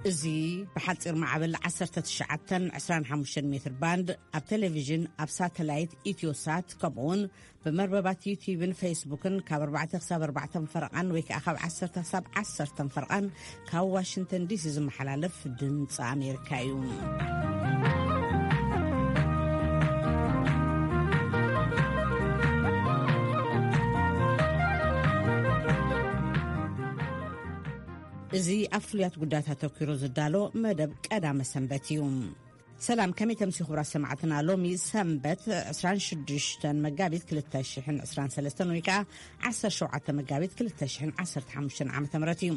እዚ ብሓጺር ማዕበል ዓሰርተ ትሽዓተ ዕስራን ሓሙሽተን ሜትር ባንድ ኣብ ቴሌቪዥን፣ ኣብ ሳተላይት ኢትዮሳት፣ ከምኡውን ብመርበባት ዩቲዩብን ፌስቡክን ካብ ኣርባዕተ ክሳብ ኣርባዕተ ፈረቓን ወይ ከዓ ካብ ዓሰርተ ክሳብ ዓሰርተ ፈረቓን ካብ ዋሽንግተን ዲሲ ዝመሓላለፍ ድምፂ ኣሜሪካ እዩ። እዚ ኣብ ፍሉያት ጉዳያት ኣተኲሩ ዝዳሎ መደብ ቀዳመ ሰንበት እዩ። ሰላም፣ ከመይ ተምሲ ክቡራት ሰማዕትና? ሎሚ ሰንበት ዕስራን ሽዱሽተን መጋቢት ክልተ ሽሕን ዕስራን ሰለስተን ወይ ከዓ ዓሰርተ ሸውዓተ መጋቢት ክልተ ሽሕን ዓሰርተ ሓሙሽተን ዓመተ ምህረት እዩ።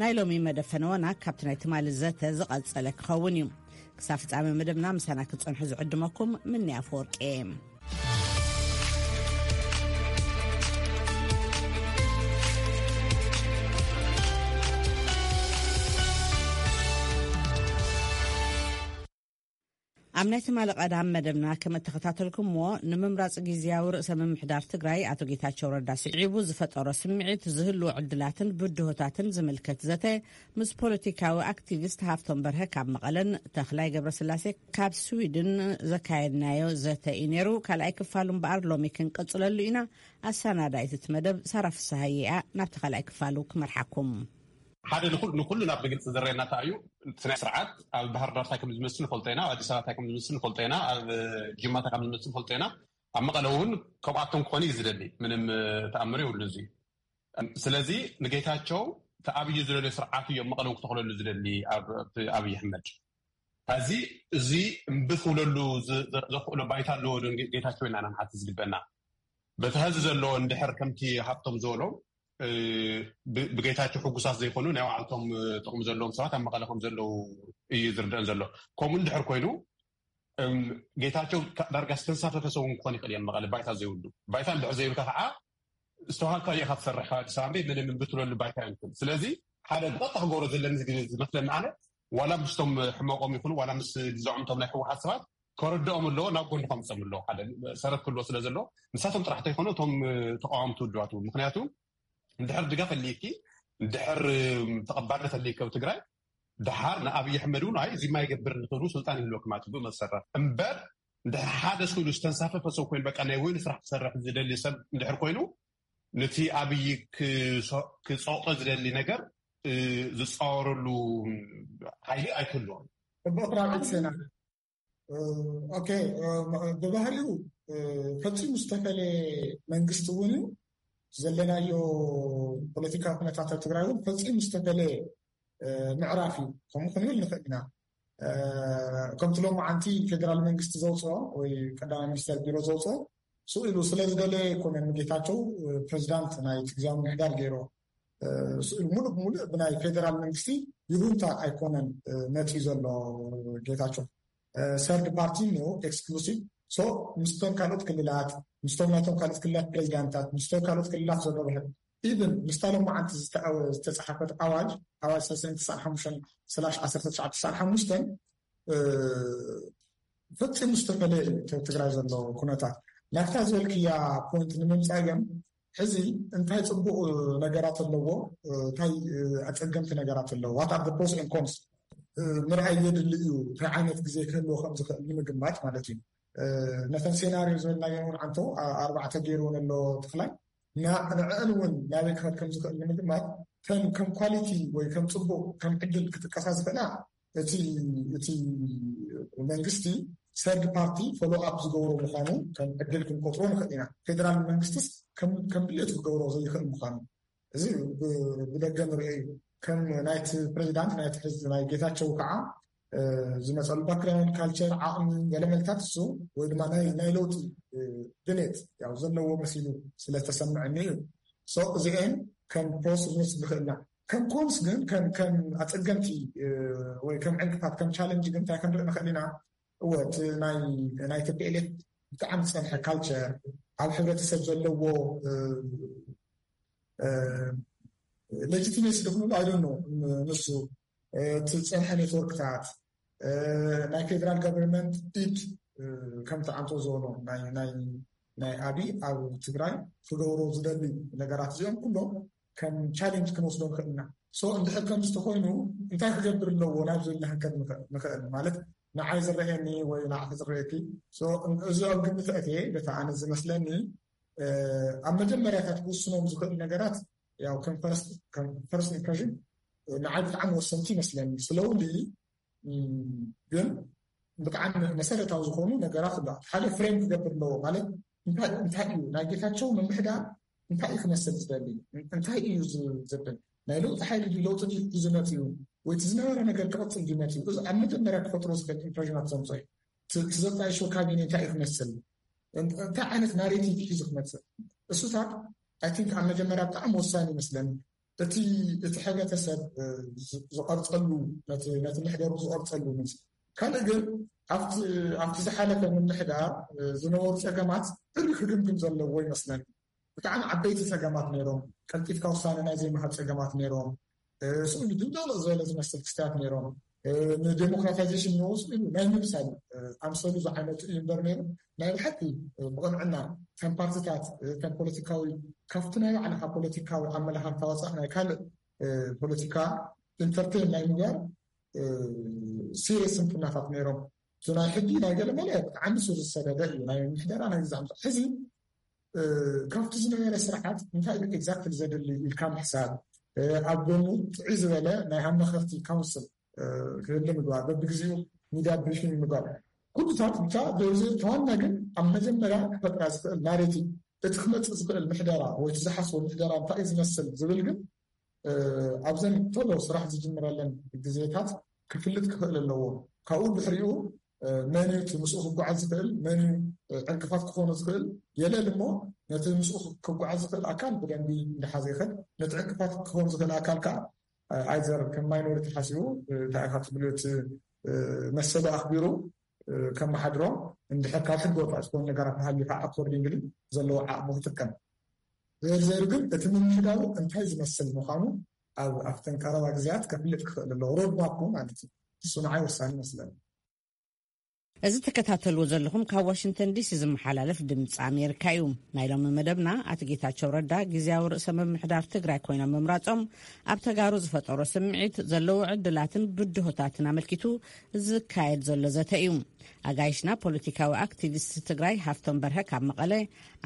ናይ ሎሚ መደብ ፈነወና ካብቲ ናይ ትማሊ ዘተ ዝቐጸለ ክኸውን እዩ። ክሳብ ፍጻሜ መደብና ምሳና ክትጸንሑ ዝዕድመኩም ምንያ ኣፈወርቂ። ኣብ ናይ ትማሊ ቀዳም መደብና ከም እተኸታተልኩምዎ፣ ንምምራጽ ግዝያዊ ርእሰ ምምሕዳር ትግራይ ኣቶ ጌታቸው ረዳ ስዒቡ ዝፈጠሮ ስምዒት፣ ዝህልዎ ዕድላትን ብድሆታትን ዝምልከት ዘተ ምስ ፖለቲካዊ ኣክቲቪስት ሃፍቶም በርሀ ካብ መቐለን ተኽላይ ገብረስላሴ ካብ ስዊድን ዘካየድናዮ ዘተ እዩ ነይሩ። ካልኣይ ክፋሉ እምበኣር ሎሚ ክንቅጽለሉ ኢና። ኣሰናዳኢት እቲ መደብ ሳራ ፍስሃየ እያ። ናብቲ ካልኣይ ክፋሉ ክመርሓኩም። ሓደ ንኹል-፣ ንኹሉ ናብ ብግልፂ ዝረአየና እንታይ እዩ? እቲ ናይ ስርዓት ኣብ ባህር ዳር እንታይ ከም ዝመስል ንፈልጦ ኢና፣ ኣብ ኣዲስ ኣበባ እንታይ ከም ዝመስል ንፈልጦ ኢና፣ ኣብ ጅማ እንታይ ከም ዝመስል ንፈልጦ ኢና። ኣብ መቐለ እውን ከምኣቶም ክኾኑ እዩ ዝደሊ። ምንም፣ እ፣ ተኣምር የብሉ እዚ። ስለዚ ንጌታቸው እቲ ኣብይ ዝደልዮ ስርዓት እዮም መቐለ እውን ክተኽለሉ ዝደሊ ኣብ፣ ኣብ ኣብይ ኣሕመድ። እዚ፣ እዚ እምቢ ክብለሉ ዝ-፣ ዝ-፣ ዘኽእሎ ባይታ ኣለዎ ዶ ጌ-፣ ጌታቸው ኢልና ኢና ንሓት ዝግበና። በቲ ሀዚ ዘሎ እንድሕር ከምቲ ሃብቶም ዝበሎ፣ እ፣ ብ-፣ ብጌታቸው ሕጉሳት ዘይኮኑ ናይ ባዕልቶም፣ እ፣ ጥቕሚ ዘለዎም ሰባት ኣብ መቐለ ከም ዘለዉ እዩ ዝርደአን ዘሎ። ከምኡ እንድሕር ኮይኑ፣ እም፣ ጌታቸው ካ-፣ ዳርጋ ዝተንሳፈፈ ሰብ እውን ክኾን ይኽእል እየ መቐለ ባይታ ዘይብሉ። ባይታ እንድሕር ዘይብልካ ከዓ ዝተዋሃካ ኢኻ ትሰርሕ ካብ ኣዲስ ኣበባ እምበር ምንም ብትለሉ ባይታ ይንክል። ስለዚ ሓደ ብቐጥታ ክገብሮ ዘለኒ ዝግ-፣ ዝመስለኒ ኣነ ዋላ ምስቶም ሕመቆም ይኹኑ ዋላ ምስ ልዛዖም እቶም ናይ ህወሓት ሰባት ከረድኦም ኣለዎ፣ ናብ ጎኒ ከምፅኦም ኣለዎ። ሓደ ሰረት ክህልዎ ስለ ዘለዎ ንሳቶም ጥራሕ ተይኮኑ እቶም ተቃወምቲ ውድባት እውን። ምክንያቱ እንድሕር ድጋፍ ኣልይኪ፣ እንድሕር ተቐባልነት ኣልይኪ ኣብ ትግራይ፣ ደሓር ንኣብይ ኣሕመድ እውን ኣይ እዚማ ይገብር ንክብሉ ስልጣን ይህልወኩም ኣብ ትብኡ መሰረት እምበር፣ እንድሕር ሓደ ስሉ ዝተንሳፈፈ ሰብ ኮይኑ በቃ ናይ ወይኑ ስራሕ ክሰርሕ ዝደሊ ሰብ እንድሕር ኮይኑ፣ ነቲ ኣብይ ክሶ-፣ ክጸቕጦ ዝደሊ ነገር፣ እ፣ ዝጻወረሉ ሓይሊ ኣይክህልዎን። ጽቡቕ ራብዒት ዜና። እ፣ ኦኬ፣ እ፣ ብባህሪኡ፣ እ፣ ፈጺሙ ዝተፈለየ መንግስቲ እውን እዩ። ዘለናዮ ፖለቲካዊ ኩነታት ኣብ ትግራይ እውን ፈጺሙ ዝተፈለየ፣ እ፣ ምዕራፍ እዩ። ከምኡ ክንብል ንኽእል ኢና። እ፣ ከምቲ ሎማዓንቲ ፌደራል መንግስቲ ዘውፅኦ ወይ ቀዳማይ ሚኒስተር ቢሮ ዘውፅኦ ስኢሉ ስለ ዝደለየ ኣይኮነን ንጌታቸው፣ እ፣ ፕሬዚዳንት ናይ ትግዛዊ ምምሕዳር ገይሮ። እ፣ ስኢሉ ሙሉእ ብሙሉእ ብናይ ፌደራል መንግስቲ ይሁንታ ኣይኮነን፣ እ፣ መፂኡ ዘሎ ጌታቸው። እ፣ ሰርድ ፓርቲ ነው ኤክስክሉሲቭ። ሶ ምስቶም ካልኦት ክልላት፣ ምስቶም ናይቶም ካልኦት ክልላት ፕሬዚዳንታት፣ ምስቶም ካልኦት ክልላት ዘሎ ብሕር፣ ኢቭን ምስታ ሎማዓንቲ ዝተኣወ-፣ ዝተፀሓፈት ኣዋጅ፣ ኣዋጅ ሰለስተ ሚእቲ ስሳን ሓሙሽተን ስላሽ ዓሰርተ ትሽዓተ ስሳን ሓሙሽተን፣ እ፣ ፈጺሙ ዝተፈለየ እዩ እቲ ትግራይ ዘሎ ኩነታት። ናብታ ዝበልክያ ፖይንት ንምምፃእ ግን፣ ሕዚ እንታይ ፅቡቕ ነገራት ኣለዎ፣ እንታይ ኣፀገምቲ ነገራት ኣለዎ፣ what are the pros and cons ምርኣይ የድሊ እዩ። እንታይ ዓይነት ግዜ ክህልዎ ከም ዝኽእል ንምግማት ማለት እዩ። ነተን ሴናሪዮ ዝበልናየን እውን ዓንቶ ኣርባዕተ ገይርወን ኣሎ ተኽላይ፣ ንዐን እውን ናበይ ክኸድ ከም ዝኽእል ንምግማት፣ ከም ኳሊቲ ወይ ከም ፅቡቕ ከም ዕድል ክጥቀሳ ዝኽእላ እቲ እቲ መንግስቲ ሰርድ ፓርቲ ፎሎ ኣፕ ዝገብሮ ምዃኑ ከም ዕድል ክንቆፅሮ ንኽእል ኢና። ፌደራል መንግስትስ ከም ከም ድሌቱ ክገብሮ ዘይኽእል ምዃኑ፣ እዚ ብ- ብደገ ንሪኦ እዩ። ከም ናይቲ ፕሬዚዳንት ናይቲ ሕዚ ናይ ጌታቸው ከዓ ዝመፀሉ ባክግራውንድ፣ ካልቸር፣ ዓቕሚ፣ ገለመልታት እሱ ወይ ድማ ናይ ናይ ለውጢ ድሌት ያው ዘለዎ መሲሉ ስለተሰምዐኒ እዩ። ሶ እዚኤን ከም ፕሮስ ንወስድ ንኽእልና። ከም ኮንስ ግን ከም ከም ኣፀገምቲ ወይ ከም ዕንቅፋት ከም ቻለንጅ ግን እንታይ ክንርኢ ንኽእል ኢና? እወ እቲ ናይ ናይ ቲ ፒ ኤል ኤፍ ብጣዕሚ ዝፀንሐ ካልቸር፣ ኣብ ሕብረተሰብ ዘለዎ ሌጂቲሜሲ ዶ ክንብሎ ኣይ ዶንት ኖ፣ ንሱ እቲ ዝፀንሐ ኔትወርክታት፣ ናይ ፌደራል ጋቨርንመንት ኢድ ከምቲ ዓንቶ ዝበሎ ናይ ናይ ናይ ኣብይ ኣብ ትግራይ ክገብሮ ዝደሊ ነገራት እዚኦም ኩሎም ከም ቻሌንጅ ክንወስዶ ንኽእል ኢና። So እንድሕር ከምዚ ተኾይኑ እንታይ ክገብር ኣለዎ ናብ ዝብል ክንከድ ንኽእል ማለት ንዓይ ዝረኣየኒ ወይ ንዓኺ ዝረኣየኪ። So እዚ ኣብ ግምት ኣእትየ በታ ኣነ ዝመስለኒ ኣብ መጀመርያታት ክውስኖም ዝኽእል ነገራት ያው ከም ፈርስት ኢምፕሬሽን ንዓይ ብጣዕሚ ወሰንቲ ይመስለኒ። ስለውሊ ግን ብጣዕሚ መሰረታዊ ዝኾኑ ነገራት ኣለዋ። ሓደ ፍሬም ክገብር ኣለዎ ማለት እንታይ እንታይ እዩ ናይ ጌታቸው ምምሕዳር እንታይ እዩ ክመስል ዝደሊ እንታይ እዩ ዝብል ናይ ለውጢ ሓይሊ ድዩ ለውጢ ድዩ ዝመፅ እዩ ወይ እቲ ዝነበረ ነገር ክቕፅል ድዩ መፅዩ እዚ ኣብ መጀመርያ ክፈጥሮ ዝኽእል ኢምፕሬሽናት ዘምፅኦ እዩ። እቲ ዘጣይሾ ካቢኔ እንታይ እዩ ክመስል እንታይ ዓይነት ናሬቲቭ እዩ ዝክመፅእ እሱታት ኣይ ቲንክ ኣብ መጀመርያ ብጣዕሚ ወሳኒ ይመስለኒ። እቲ እቲ ሕብረተሰብ ዝቐርፀሉ ነቲ ምሕደሩ ዝቐርፀሉ ምስ ካልእ ግን ኣብቲ ዝሓለፈ ምምሕዳር ዝነበሩ ፀገማት ብሪ ክግምግም ዘለዎ ይመስለኒ። ብጣዕሚ ዓበይቲ ፀገማት ነይሮም። ቀልጢፍካ ውሳነ ናይ ዘይምሃብ ፀገማት ነይሮም። ስሉ ድንደሎ ዝበለ ዝመስል ክስታት ነይሮም። ንዴሞክራታይዜሽን ንወስሉ ናይ ምምሳል ኣምሰሉ ዝዓይነቱ እዩ እምበር ነይሩ ናይ ብሓቂ ብቕንዕና ከም ፓርቲታት ከም ፖለቲካዊ ካብቲ ናይ ባዕልካ ፖለቲካዊ ኣመላኻኽታ ወፃእ ናይ ካልእ ፖለቲካ ኢንተርቴን ናይ ምግባር ሲሪየስ ስንፍናታት ነይሮም። እቲ ናይ ሕጊ ናይ ገለ መለ ብጣዕሚ ስር ዝሰደደ እዩ ናይ ምሕደራ ናይ ግዛዕ ሕዚ ካብቲ ዝነበረ ስርዓት እንታይ እዩ ኤግዛክትሊ ዘድሊ ኢልካ ምሕሳብ ኣብ ጎኑ ጥዑይ ዝበለ ናይ ኣመኸርቲ ካውንስል ክህሊ ምግባር በብግዜኡ ሚድያ ብሪፊንግ ምግባር ኩሉታት ብቻ ተዋና ግን ኣብ መጀመርያ ክፈጥራ ዝኽእል ናሬቲቭ እቲ ክመፅእ ዝኽእል ምሕደራ ወይ ዝሓስቦ ምሕደራ እንታይ እዩ ዝመስል ዝብል ግን ኣብዘን ቶሎ ስራሕ ዝጅምረለን ግዜታት ክፍልጥ ክኽእል ኣለዎ። ካብኡ ድሕሪኡ መን እቲ ምስኡ ክጓዓዝ ዝኽእል መን ዕንቅፋት ክኾኑ ዝኽእል የለል እሞ ነቲ ምስኡ ክጓዓዝ ዝኽእል ኣካል ብደንቢ እንዳሓዘ ይኸድ። ነቲ ዕንቅፋት ክኾኑ ዝኽእል ኣካል ከዓ ኣይዘር ከም ማይኖሪቲ ሓሲቡ እንታይ ኢኻ ትብሉ እቲ መሰሉ ኣኽቢሩ ከመሓድሮ እንድሕር ካብ ሕገ ወፃኢ ዝኾኑ ነገራት ተሃልዩ ከዓ ኣኮርዲንግሊ ዘለዎ ዓቕሙ ክጥቀም ዘርዘሩ ግን እቲ ምምሕዳሩ እንታይ ዝመስል ምዃኑ ኣብ ኣብተን ቀረባ ግዜያት ከፍልጥ ክኽእል ኣለዎ። ሮድማፕ ማለት እዩ። እሱ ንዓይ ወሳኒ ይመስለኒ። እዚ ተከታተልዎ ዘለኹም ካብ ዋሽንግተን ዲሲ ዝመሓላለፍ ድምፂ ኣሜሪካ እዩ። ናይ ሎሚ መደብና ኣቶ ጌታቸው ረዳ ግዜያዊ ርእሰ ምምሕዳር ትግራይ ኮይኖም ምምራፆም ኣብ ተጋሩ ዝፈጠሮ ስምዒት ዘለዎ ዕድላትን ብድሆታትን ኣመልኪቱ ዝካየድ ዘሎ ዘተ እዩ። ኣጋይሽና ፖለቲካዊ ኣክቲቪስት ትግራይ ሃፍቶም በርሀ ካብ መቐለ፣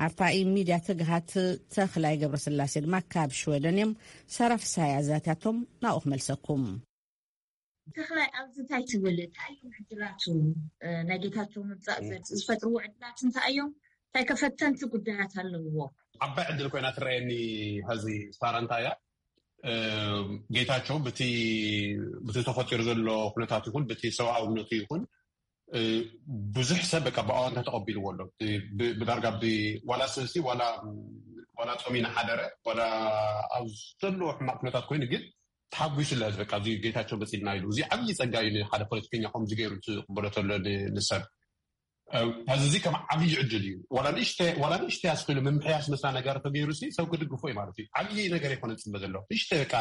ኣርታኢ ሚድያ ትግሃት ተኽላይ ገብረስላሴ ድማ ካብ ሽወደን እዮም። ሳራ ፍስሃይ ኣዛትያቶም ናብኡ ክመልሰኩም። ተኽላይ ኣብዚ እንታይ ትብል እንታይ እዮም ዕድላቱ ናይ ጌታቸው ምምፃእ ዝፈጥርዎ ዕድላት እንታይ እዮም እንታይ ከፈተንቲ ጉዳያት ኣለውዎ። ዓባይ ዕድል ኮይና ትረየኒ ሀዚ ሳራ እንታይ እያ ጌታቸው ብቲ ተፈጢሩ ዘሎ ኩነታት ይኹን ብቲ ሰብኣውነቱ ይኹን ብዙሕ ሰብ በቃ ብኣዋንታ ተቐቢልዎ ኣሎ። ብዳርጋ ዋላ ስልሲ ዋላ ጾም ይናሓደረ ዋላ ኣብ ዘለዎ ሕማቕ ኩነታት ኮይኑ ግን ተሓጒሱ ለህዝቢ በቃ እዚ ጌታቸው መፂልና ኢሉ እዚ ዓብዪ ፀጋ እዩ ንሓደ ፖለቲከኛ ከምዚ ገይሩ ዝቕበሎ ተሎ ንሰብ ሕዚ እዚ ከም ዓብዪ ዕድል እዩ። ዋላ ንእሽተ ዋላ ንእሽተ ያስክሉ ምምሕያሽ መስላ ነገር ተገይሩ ሲ ሰብ ክድግፎ እዩ ማለት እዩ። ዓብዪ ነገር ይኮነ ፅበ ዘሎ ንእሽተ በቃ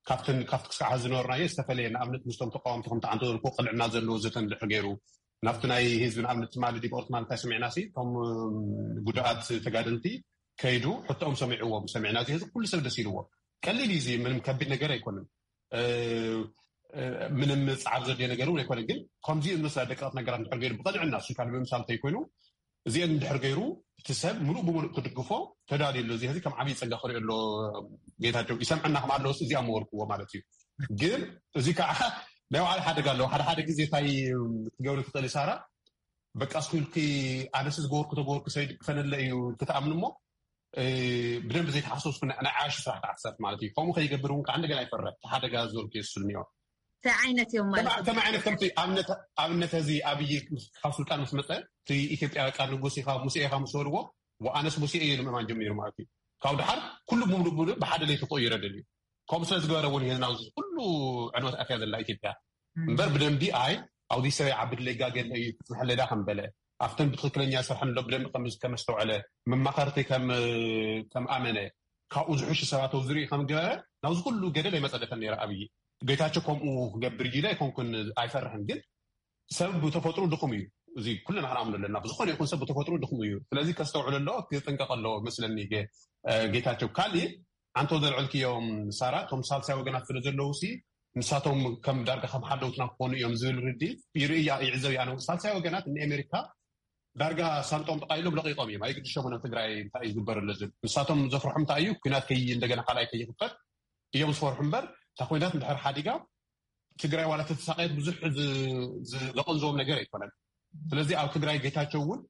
ካብትን ካብቲ ክሳዕ ዝነበርናዮ ዝተፈለየ ንኣብነት ምስቶም ተቃወምቲ ከምቲ ዓንተ ዘልኩ ቅንዕና ዘለዎ ዘተ እንድሕር ገይሩ ናብቲ ናይ ህዝቢ ንኣብነት ትማሊ ዲብ ኦርትማ እንታይ ሰሚዕና ሲ እቶም ጉዳኣት ተጋደልቲ ከይዱ ሕቶኦም ሰሚዕዎም ሰሚዕና እዚ ህዝቢ ኩሉ ሰብ ደስ ኢልዎ ቀሊል እዩ እዚ ምንም ከቢድ ነገር ኣይኮንም ምንም ፃዕር ዘድልዮ ነገር እውን ኣይኮነ ግን ከምዚ ዝመስላ ደቀቕት ነገራት እንድሕር ገይሩ ብቐንዕና እሱ ካብ ምምሳል ተይኮይኑ እዚአን እንድሕር ገይሩ እቲ ሰብ ሙሉእ ብሙሉእ ክድግፎ ተዳልዩ ኣሎ እዚ ከም ዓብዪ ፀጋ ክሪኦ ኣሎ ጌታቸው ይሰምዐና ከም ኣለዎስ እዚኣ መወርክዎ ማለት እዩ ግን እዚ ከዓ ናይ ባዕሉ ሓደጋ ኣለዎ ሓደ ሓደ ግዜ እንታይ ክትገብሪ ትኽእሊ ሳራ በቃ ስኩልኪ ኣነስ ዝገበርኩ ተገበርኩ ሰይድ ክፈነለ እዩ ክትኣምኒ እሞ ብደንብ ዘይተሓሰስኩ ናይ ዓያሹ ስራሕ ተዓሰብ ማለት እዩ ከምኡ ከይገብር እውን ከዓ እንደገና ይፈርሕ እቲ ሓደጋ ዝበልኩ የስል እኒኦ እንታይ ዓይነት እዮም ማለት ከም ዓይነት ከምቲ ኣብነት እዚ ኣብይ ካብ ስልጣን ምስ መፀ እቲ ኢትዮጵያ በቃ ንጉስ ኢኻ ሙሴ ኢኻ ምስ በልዎ ኣነስ ሙሴ እየ ንምእማን ጀሚሩ ማለት እዩ ካብ ድሓር ኩሉ ብምሉ ብምሉ ብሓደ ለይቲ ክቕይረ ደልዩ ከምኡ ስለ ዝገበረ እውን ይህዝና ኩሉ ዕንወት ኣትያ ዘላ ኢትዮጵያ እምበር ብደንቢ ኣይ ኣውዲ ሰበይ ዓቢ ድለይ ጋገለ እዩ ክፅንሐለዳ ከም በለ ኣብተን ብትክክለኛ ሰርሐን ሎ ብደንቢ ከመስተውዐለ መማኸርቲ ከም ኣመነ ካብኡ ዝሕሹ ሰባት ኣብ ዝርኢ ከም ገበረ ናብዚ ኩሉ ገደል ኣይመፀደፈን ነይረ ኣብይ ጌታቸው ከምኡ ክገብር እዩ ኢለ ኣይኮንኩን ኣይፈርሕን ግን ሰብ ብተፈጥሩ ድኹም እዩ እዚ ኩልና ክንኣምኖ ኣለና ብዝኾነ ይኹን ሰብ ብተፈጥሩ ድኹም እዩ ስለዚ ከስተውዕሎ ኣለዎ ክጥንቀቕ ኣለዎ መስለኒ ጌታቸው ካሊእ ሓንቶ ዘልዕልክዮም ሳራ፣ እቶም ሳልሳይ ወገናት ስለ ዘለዉ ሲ ንሳቶም ከም ዳርጋ ከም ሓደውትና ክኾኑ እዮም ዝብል ርዲ ይርእያ ይዕዘብ። ኣነ ሳልሳይ ወገናት ንኣሜሪካ ዳርጋ ሳንጦም ጥቃ ኢሎም ለቂቆም እዮም። ኣይግድሾምን ኣብ ትግራይ እንታይ እዩ ዝግበር ኣሎ ዝብል። ንሳቶም ዘፍርሖም እንታይ እዩ? ኩናት ከይ እንደገና ካልኣይ ከይክፈት እዮም ዝፈርሑ እምበር፣ እታ ኩናት እንድሕር ሓዲጋ ትግራይ ዋላ ተተሳቀየት ብዙሕ ዝ- ዝ- ዘቐንዝዎም ነገር ኣይኮነን። ስለዚ ኣብ ትግራይ ጌታቸው እውን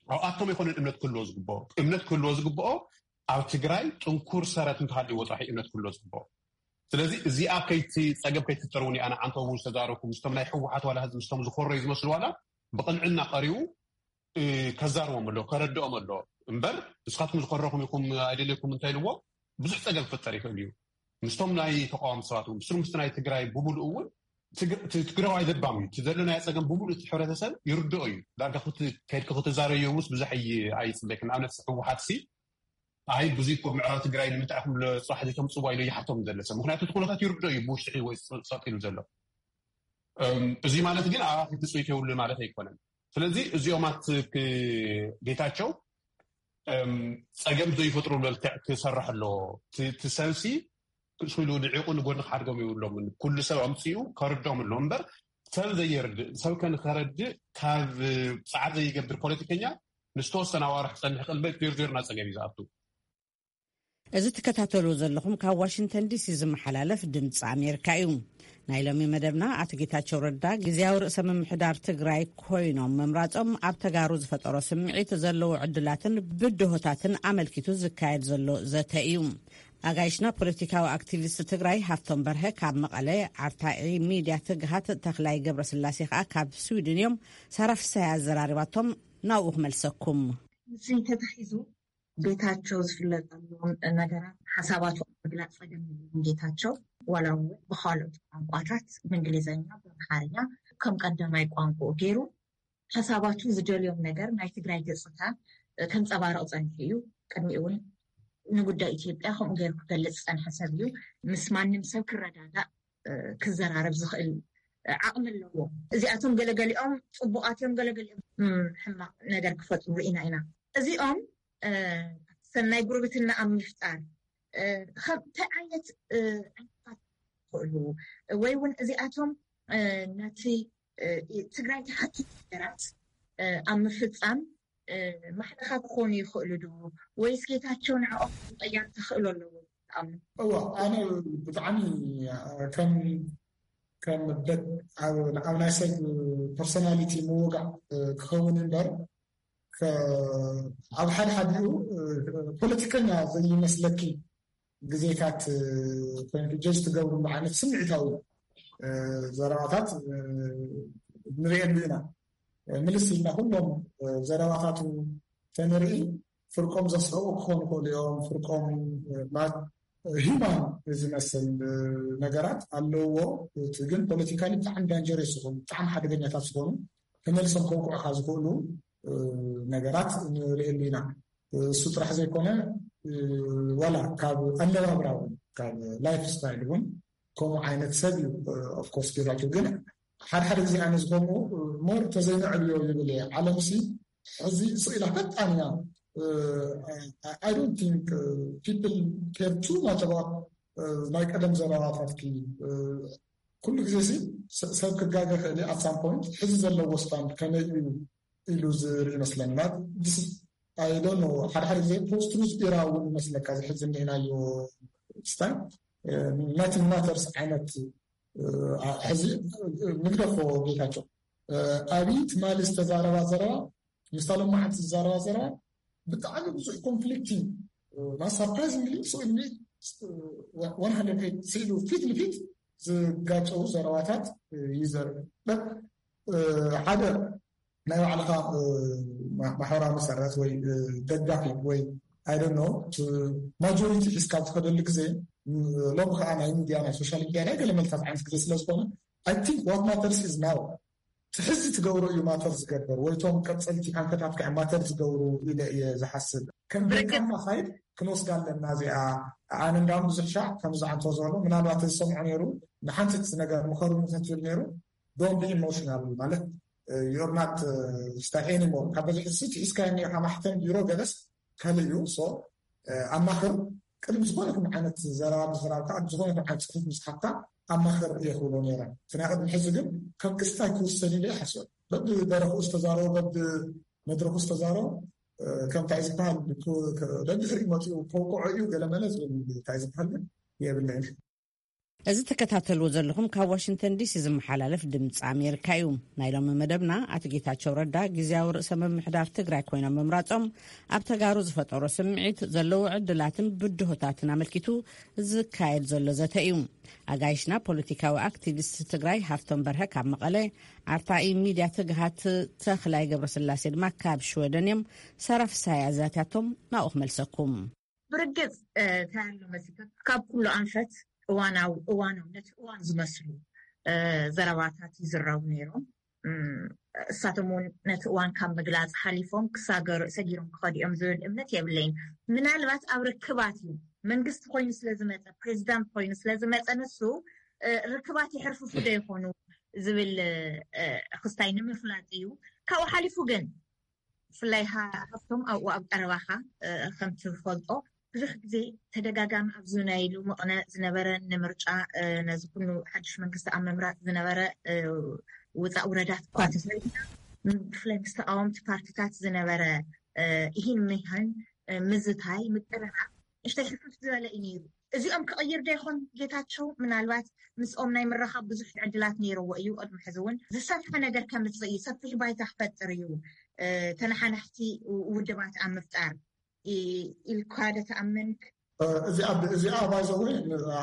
ኣብኣቶም ኣይኮነን እምነት ክህልዎ ዝግብኦ። እምነት ክህልዎ ዝግብኦ ኣብ ትግራይ ጥንኩር ሰረት እንተሃልይዎ ጥራሕ እምነት ክህልዎ ዝግብኦ። ስለዚ እዚኣ ከይቲ ጸገም ከይትፍጠር እውን ኣነ ዓንተቡ ዝተዛረብኩ ምስቶም ናይ ህወሓት ዋላ ህዝቢ ምስቶም ዝኾረዩ ዝመስሉ ዋላ ብቕንዕና ቀሪቡ ከዛርቦም ኣሎ፣ ከረድኦም ኣሎ። እምበር ንስኻትኩም ዝኮረኹም ኢኹም ኣይደልየኩም እንታይ ኢልዎ ብዙሕ ጸገም ክፍጠር ይኽእል እዩ። ምስቶም ናይ ተቃዋሚ ሰባት እውን ብስሩ ምስቲ ናይ ትግራይ ብምሉእ እውን ትግ- እቲ ትግራዋይ ለባም እዩ። እቲ ዘሎ ናይ ጸገም ብምሉእ እቲ ሕብረተሰብ ይርድኦ እዩ። ዳርጋ ክት- ከድኪ ክትዛረዩ ምስ ብዙሕ ኣይ- ኣይጽበይክ። ንኣብነት ህወሓት ሲ ኣይ ብዙ እኮ ምዕራብ ትግራይ ንምንታይ ኢኹም ለጽባሕ ዘይተምጽዋ ኢሉ ይሓቶም ዘለሰ። ምክንያቱ እቲ ኩነታት ይርድኦ እዩ። ብውሽጢ ወይ ጸጥ ኢሉ ዘሎ እዚ ማለት ግን ኣባኺ ትፅቢት የብሉ ማለት ኣይኮነን። ስለዚ እዚኦም ኣት ጌታቸው ጸገም ዘይፈጥሩ መልክዕ ክሰርሕ ኣለዎ። ትሰብሲ ክስሉ ንዒቑ ንጎኒ ክሓድጎም የብሎምን። ኩሉ ሰብ ኣምፅኡ ከርዶም ኣሎ እምበር ሰብ ዘየርድእ ሰብ ከንከረድእ ካብ ፃዕር ዘይገብር ፖለቲከኛ ንዝተወሰነ ኣዋርሕ ክፀንሕ ቅልበ ፊርፊርና ፀገም እዩ ዝኣቱ። እዚ ትከታተሉ ዘለኹም ካብ ዋሽንግተን ዲሲ ዝመሓላለፍ ድምፂ ኣሜሪካ እዩ። ናይ ሎሚ መደብና ኣቶ ጌታቸው ረዳ ግዝያዊ ርእሰ ምምሕዳር ትግራይ ኮይኖም ምምራፆም ኣብ ተጋሩ ዝፈጠሮ ስምዒት ዘለዎ ዕድላትን ብድሆታትን ኣመልኪቱ ዝካየድ ዘሎ ዘተ እዩ። ኣጋይሽና ፖለቲካዊ ኣክቲቪስት ትግራይ ሃፍቶም በርሀ ካብ መቐለ፣ ኣርታዒ ሚድያ ትግሃት ተኽላይ ገብረስላሴ ከዓ ካብ ስዊድን እዮም። ሳራ ፍሳይ ኣዘራሪባቶም ናብኡ ክመልሰኩም። እዚ ተታሒዙ ቤታቸው ዝፍለጠሎም ነገራት ሓሳባቱ ምግላፅ ፀገም የብሉን። ጌታቸው ዋላ እውን ብካልኦት ቋንቋታት ብእንግሊዝኛ፣ ብኣምሓርኛ ከም ቀዳማይ ቋንቋኡ ገይሩ ሓሳባቱ ዝደልዮም ነገር ናይ ትግራይ ገፅታ ከንፀባርቕ ፀኒሑ እዩ። ቅድሚኡ እውን ንጉዳይ ኢትዮጵያ ከምኡ ገይሩ ክገልፅ ዝፀንሐ ሰብ እዩ። ምስ ማንም ሰብ ክረዳዳእ ክዘራረብ ዝኽእል ዓቕሚ ኣለዎ። እዚኣቶም ገለገሊኦም ፅቡቓት እዮም፣ ገለገሊኦም ሕማቕ ነገር ክፈጥሩ ርኢና ኢና። እዚኦም ሰናይ ጉርብትና ኣብ ምፍጣር እንታይ ዓይነት ዕንቅፋት ክኽእሉ ወይ እውን እዚኣቶም ነቲ ትግራይ ትሓቱ ነገራት ኣብ ምፍፃም ማሕለኻ ክኾኑ ይኽእሉ ዶ ወይስ ጌታቸው ንዕኦም ምቕያር ተኽእሎ ኣለዎ? እዋ ኣነ ብጣዕሚ ከም ከም ኣብ ናይ ሰብ ፐርሶናሊቲ ምውጋዕ ክኸውን እምበር ኣብ ሓደ ሓዲኡ ፖለቲከኛ ዘይመስለኪ ግዜታት ኮይኑ ጀጅ ትገብርሉ ዓይነት ስምዒታዊ ዘረባታት ንሪኤሉ ኢና። ምልስ ኢልና ኩሎም ዘረባታቱ ተንርኢ ፍርቆም ዘስሕቑ ክኾኑ ይኽእሉ እዮም። ፍርቆም ሂማን ዝመስል ነገራት ኣለውዎ። እቲ ግን ፖለቲካሊ ብጣዕሚ ዳንጀረስ ዝኾኑ ብጣዕሚ ሓደገኛታት ዝኾኑ ተመልሶም ከውቅዑኻ ዝኽእሉ ነገራት ንርእየሉ ኢና። እሱ ጥራሕ ዘይኮነ ዋላ ካብ ኣነባብራ እውን ካብ ላይፍ ስታይል እውን ከምኡ ዓይነት ሰብ እዩ። ኦፍኮርስ ጌታቸው ግን ሓደ ሓደ ግዜ ኣነ ዝኮምኡ ሞር ተዘይንዕብዮ ይብል እየ። ዓለምሲ ሕዚ ስቕ ኢላ ፈጣን እያ። I don't think people care too much about ናይ ቀደም ዘረባታትኪ። ኩሉ ግዜ ሲ ሰብ ክጋገ ክእል at some point ሕዚ ዘለዎ ስታንድ ከመይ እዩ ኢሉ ዝርኢ ይመስለኒ። I don't know ሓደ ሓደ ግዜ ፖስት ትሩዝ ኢራ እውን ይመስለካ እዚ ሕዚ እኒአናዮ ስታይል nothing matters ዓይነት ሕዚ ንግደፎ ጌታቸው ኣብይ ትማሊ ዝተዛረባ ዘረባ ምስታ ሎማዓንቲ ዝዛረባ ዘረባ ብጣዕሚ ብዙሕ ኮንፍሊክቲንግ surprisingly so one hundred ስኢሉ ፊት ንፊት ዝጋጨው ዘረባታት ይዘርብ። ሓደ ናይ ባዕልኻ ማሕበራዊ መሰረት ወይ ደጋፊ ወይ I don't know ማጆሪቲ ሒዝካ ትኸደሉ ግዜ ሎም ከዓ ናይ ሚድያ ናይ ሶሻል ሚድያ ናይ ገለ መልታት ዓይነት ግዜ ስለዝኮነ I think what matters is now እቲ ሕዚ ትገብሮ እዩ ማተር ዝገብር ወይ ቶም ቀፀልቲ ኣንፈታትካ ማተር ዝገብሩ ኢለ እየ ዝሓስብ። ከም ደካማ ሳይድ ክንወስዳ ኣለና እዚኣ። ኣነ እንዳም ብዙሕ ሻዕ ከምዚ ዓንቶ ዝበሎ ምናልባት ዝሰምዖ ነይሩ ንሓንቲ ነገር ምኸሩ ንክትብል ነይሩ don't be emotional ማለት you're not ስታይ anymore ካብ በዚ ሕዚ ትሒዝካ እኒኻ ማሕተም ቢሮ ገለስ ካልእ እዩ። So ኣማኽር ቅድሚ ዝኾነ ይኹን ዓይነት ዘረባ ምዝራብካ፣ ቅድሚ ዝኾነ ይኹን ዓይነት ጽሑፍ ምጽሓፍካ ኣማኽር እየ ክብሎ ነይረ። እቲ ናይ ቅድሚ ሕዚ ግን ከም ክስታይ ክውሰድ ኢለ ይሓስብ። በብደረኹ ዝተዛረቦ፣ በብመድረኹ ዝተዛረቦ፣ እ፣ ከም እንታይ ዝበሃል፣ ክ-፣ ክ-፣ ደድሕሪኡ መፂኡ ከውቅዖ እዩ ገለ መለ ዝብል እንታይ ዝበሃል ግን የብለይን። እዚ ትከታተልዎ ዘለኹም ካብ ዋሽንግተን ዲሲ ዝመሓላለፍ ድምፂ ኣሜሪካ እዩ። ናይ ሎሚ መደብና ኣቶ ጌታቸው ረዳ ግዝያዊ ርእሰ ምምሕዳር ትግራይ ኮይኖም ምምራጾም ኣብ ተጋሩ ዝፈጠሮ ስምዒት፣ ዘለዎ ዕድላትን ብድሆታትን ኣመልኪቱ ዝካየድ ዘሎ ዘተ እዩ። ኣጋይሽና ፖለቲካዊ ኣክቲቪስት ትግራይ ሃፍቶም በርሀ ካብ መቐለ፣ ኣርታኢ ሚድያ ትግሃት ተኽላይ ገብረስላሴ ድማ ካብ ሽወደን እዮም። ሰራፍሳይ ኣዛትያቶም ናብኡ ክመልሰኩም። ብርግጽ፣ እ፣ እንታይ ኣሎ መሲልካ፣ ካብ ኩሉ ኣንፈት እዋናዊ፣ እዋናዊ፣ ነቲ እዋን ዝመስሉ፣ እ፣ ዘረባታት ይዝረቡ ነይሮም። እም፣ እሳቶም እውን ነቲ እዋን ካብ ምግላጽ ሓሊፎም ክሳገሩ፣ ሰጊሮም ክኸዱ እዮም ዝብል እምነት የብለይን። ምናልባት ኣብ ርክባት እዩ፣ መንግስቲ ኮይኑ ስለ ዝመጸ፣ ፕሬዚዳንት ኮይኑ ስለ ዝመጸ፣ ንሱ፣ እ፣ ርክባት የሕርፍፉ ዶ ይኾኑ ዝብል፣ እ፣ ክስታይ ንምፍላጥ እዩ። ካብኡ ሓሊፉ ግን ብፍላይ ሃ-፣ ሃፍቶም ኣብኡ ኣብ ቀረባኻ፣ እ፣ ከም ትፈልጦ ብዙሕ ግዜ ተደጋጋሚ ኣብዚ ናይ ሎሚ ቅነ ዝነበረ ንምርጫ፣ እ፣ ነዚ ኩሉ ሓድሽ መንግስቲ ኣብ ምምራጽ ዝነበረ፣ እ፣ ውፃእ ውረዳት እኳ እንተሰሪሕና፣ ም-፣ ብፍላይ ምስ ተቃወምቲ ፓርቲታት ዝነበረ፣ እ፣ ኢሂን ሚሃን፣ እ፣ ምዝታይ፣ ምቅርራብ ንእሽተይ ሕፍፍ ዝበለ እዩ ነይሩ። እዚኦም ክቕይር ዶ ይኾን ጌታቸው? ምናልባት ምስኦም ናይ ምርኻብ ብዙሕ ዕድላት ነይርዎ እዩ። ቅድሚ ሕዚ እውን ዝሰፍሐ ነገር ከምፅእ እዩ፣ ሰፊሕ ባይታ ክፈጥር እዩ፣ እ፣ ተነሓናሕቲ ውድባት ኣብ ምፍጣር ኢ-፣ ኢልካ ዶ ትኣምን? እ፣ እዚኣ፣ እዚኣ ባይዘወይ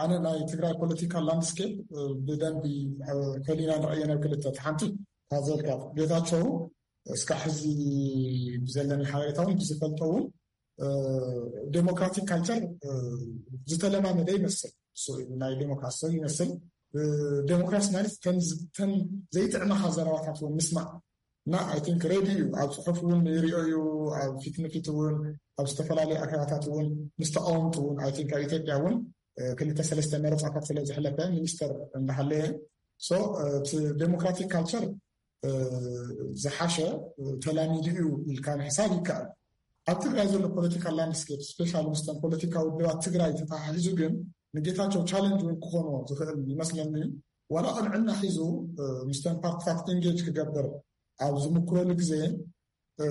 ኣነ ናይ ትግራይ ፖለቲካል ላንድስኬፕ፣ እ፣ ብደንቢ፣ እ፣ ፈሊና ንርእየን ኣብ ክልተ። እቲ ሓንቲ ታዘልካ ጌታቸው እስካብ ሕዚ ብዘለኒ ሓበሬታ እውን ብዝፈልጦ እውን እ፣ ዴሞክራቲክ ካልቸር፣ እ፣ ዝተለማመደ ይመስል። እሱ ናይ ዴሞክራሲ ሰብ ይመስል። እ፣ ዴሞክራሲ ማለት ተን ዝ-፣ ተን ዘይጥዕመኻ ዘረባታት እውን ምስማዕ እና፣ ኣይ ቲንክ፣ ሬዲ እዩ። ኣብ ጽሑፍ እውን ይሪኦ እዩ፣ ኣብ ፊት ንፊት እውን፣ ኣብ ዝተፈላለዩ ኣኼባታት እውን ምስ ተቃወምቲ እውን፣ ኣይ ቲንክ፣ ኣብ ኢትዮጵያ እውን፣ እ፣ ክልተ ሰለስተ መረጻታት ስለ ዝሕለፈ ሚኒስተር እንዳሃለየ። ሶ፣ እ፣ እቲ ዴሞክራቲክ ካልቸር እ፣ ዝሓሸ፣ እ፣ ተላሚዱ እዩ ኢልካ ምሕሳብ ይከኣል። ኣብ ትግራይ ዘሎ ፖለቲካል ላንድስኬፕ፣ ስፔሻሊ ምስቶም ፖለቲካዊ ውድባት ትግራይ ተተሓሒዙ ግን ንጌታቸው ቻለንጅ እውን ክኾኖ ዝኽእል ይመስለኒ። ዋላ ቅንዕና ሒዙ፣ እ፣ ምስቶም ፓርቲታት ኢንጌጅ ክገብር ኣብ ዝምክረሉ ግዜ፣ እ፣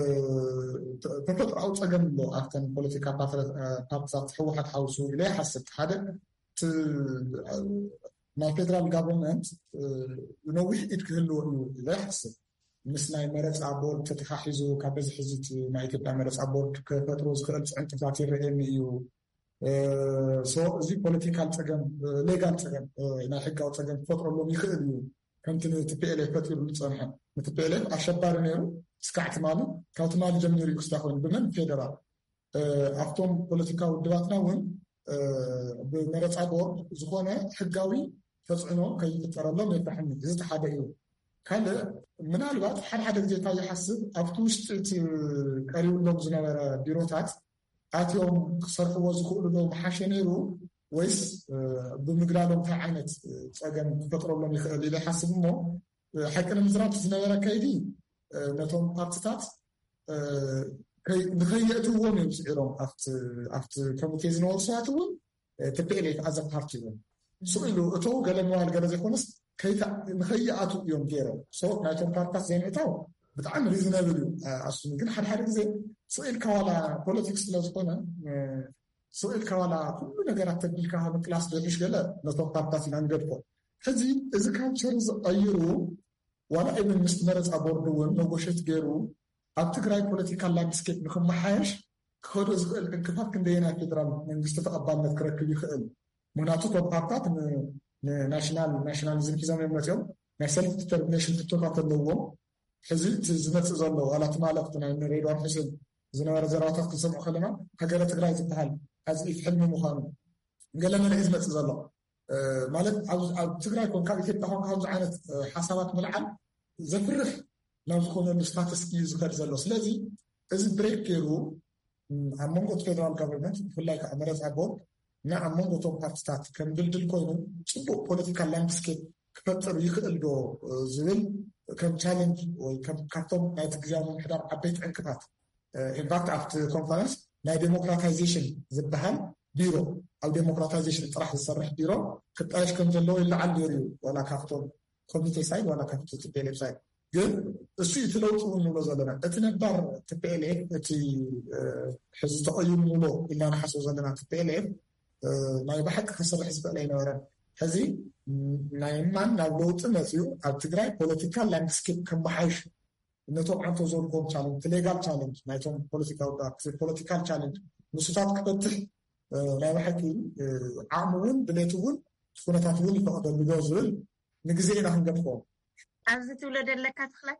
ተ-፣ ተፈጥሮኣዊ ጸገም ኣሎ ኣብተን ፖለቲካ ፓትረ-፣ እ፣ ፓርቲታት ህወሓት ሓውሱ ኢለ ይሓስብ። ሓደ፣ እቲ፣ እ፣ ናይ ፌደራል ጋቨርንመንት፣ እ፣ ነዊሕ ኢድ ክህልዎ እዩ ኢለ ይሓስብ። ምስ ናይ መረፃ ቦርድ ተተሓሒዙ፣ ካብ በዚ ሕዚ እቲ ናይ ኢትዮጵያ መረፃ ቦርድ ክፈጥሮ ዝኽእል ፅዕንቅፋት ይረአየኒ እዩ። እ፣ ሶ፣ እዚ ፖለቲካል ፀገም፣ እ፣ ሌጋል ፀገም፣ እ፣ ናይ ሕጋዊ ፀገም ክፈጥረሎም ይኽእል እዩ። ከምቲ ንቲፒኤልኤፍ ፈጢሩ ዝፀንሐ፣ ንቲፒኤልኤፍ ኣሸባሪ ነይሩ እስካዕ ትማሊ፣ ካብ ትማሊ ጀሚሩ እዩ ክስታ ኮይኑ። ብመን? ፌደራል። እ፣ ኣብቶም ፖለቲካዊ ውድባትና እውን፣ እ፣ ብመረፃ ቦርድ ዝኾነ ሕጋዊ ተፅዕኖ ከይፍጠረሎም የፍርሐኒ። እዚ እቲ ሓደ እዩ። ካልእ፣ ምናልባት ሓደ ሓደ ግዜ እንታይ ይሓስብ፣ ኣብቲ ውሽጢ እቲ ቀሪብሎም ዝነበረ ቢሮታት ኣትዮም ክሰርሕዎ ዝኽእሉ ዶ ምሓሸ ነይሩ፣ ወይስ፣ እ፣ ብምግላሎም እንታይ ዓይነት፣ እ፣ ጸገም ክፈጥረሎም ይኽእል ኢለ ይሓስብ እሞ፣ እ፣ ሓቂ ንምዝራብ ዝነበረ ከይዲ፣ እ፣ ነቶም ፓርቲታት፣ እ፣ ከይ-፣ ንኸየእትዎም እዮም ስዒሮም። ኣብቲ፣ ኣብቲ ኮሚቴ ዝነበሩ ሰባት እውን፣ እ፣ ቲፒኤልኤፍ ኣዘ ፓርቲ እውን ስቕ ኢሉ እቶ ገለ ምባል ገለ ዘይኮነስ ከይታ-፣ ንኸይኣትው እዮም ገይሮም። ሶ ናይቶም ፓርቲታት ዘይምእታው ብጣዕሚ ሪዝነብል እዩ። እ፣ ኣሱኒ ግን ሓደ ሓደ ግዜ ስቕ ኢልካ ዋላ ፖለቲክስ ስለ ዝኾነ፣ እ፣ ስቕ ኢልካ ዋላ ኩሉ ነገራት ተቢልካ ምቅላስ ዶ ይሕሽ ገለ ነቶም ፓርቲታት ኢና ንገድፎ። ሕዚ እዚ ካልቸር ዝቐይሩ ዋላ ኢቨን ምስቲ መረፃ ቦርድ እውን ነጎሸት ገይሩ ኣብ ትግራይ ፖለቲካል ላንድስኬፕ ንክመሓየሽ ክኸዶ ዝኽእል ዕንቅፋት ክንደየናይ ፌደራል መንግስቲ ተቐባልነት ክረክብ ይኽእል? ምክንያቱ እቶም ፓርቲታት ን-፣ ንናሽናል፣ ናሽናሊዝም ሒዞም እዮም መፅኦም። ናይ ሰልፍ ዲተርሚኔሽን ሕቶታት ኣለዎም። ሕዚ እቲ ዝመፅእ ዘሎ ዋላ ትማሊ ኣብቲ ናይ ሬድዋን ሑሴን ዝነበረ ዘረባታት ክንሰምዖ ከለና ሃገረ ትግራይ ዝበሃል ኣዝኢፍ ሕልሚ ምዃኑ ገለ መለ እዩ ዝመፅእ ዘሎ። እ፣ ማለት ኣብ፣ ኣብ ትግራይ ኮንካ ኣብ ኢትዮጵያ ኮንካ ከምዚ ዓይነት፣ እ፣ ሓሳባት ምልዓል ዘፍርሕ ናብ ዝኾነሉ ስታተስ እዩ ዝኸድ ዘሎ። ስለዚ እዚ ብሬክ ገይሩ፣ ም፣ ኣብ መንጎ እቲ ፌደራል ጋቨርንመንት ብፍላይ ከዓ መረፃ ቦርድ እና ኣብ መንጎ እቶም ፓርቲታት ከም ድልድል ኮይኑ ፅቡቅ ፖለቲካል ላንድስኬፕ ክፈጥር ይኽእል ዶ፣ እ፣ ዝብል ከም ቻለንጅ ወይ ከም ካብቶም ናይቲ ግዜያዊ ምምሕዳር ዓበይቲ ዕንቅፋት፣ እ፣ ኢንፋክት ኣብቲ ኮንፈረንስ ናይ ዴሞክራታይዜሽን ዝበሃል ቢሮ፣ ኣብ ዴሞክራታይዜሽን ጥራሕ ዝሰርሕ ቢሮ ክጣየሽ ከም ዘለዎ ይለዓል ነይሩ እዩ። ዋላ ካብቶም ኮሚቴ ሳይድ ዋላ ካብቲ ቲ ፒ ኤል ኤፍ ሳይድ። ግን እሱ እዩ እቲ ለውጢ እውን ንብሎ ዘለና። እቲ ነባር ቲ ፒ ኤል ኤፍ፣ እቲ ሕዚ ተቐይሩ ንብሎ ኢልና ንሓስቦ ዘለና ቲ ፒ ኤል ኤፍ ናይ ብሓቂ ክሰርሕ ዝኽእል ኣይነበረን። ሕዚ ናይ ማን ናብ ለውጢ መፅኡ ኣብ ትግራይ ፖለቲካል ላንድስኬፕ ከመሓይሽ ነቶም ዓንቶ ዘልዎም ቻለንጅ፣ ሌጋል ቻለንጅ ናይቶም ፖለቲካዊ ፓርቲ፣ ፖለቲካል ቻለንጅ ምስታት ክፈትሕ ናይ ብሓቂ ዓቕሚ እውን ድሌት እውን ኩነታት እውን ይፈቕደሉ ዶ ዝብል ንግዜ ኢና ክንገድፎ። ኣብዚ ትብሎ ደለካ ትኽላይ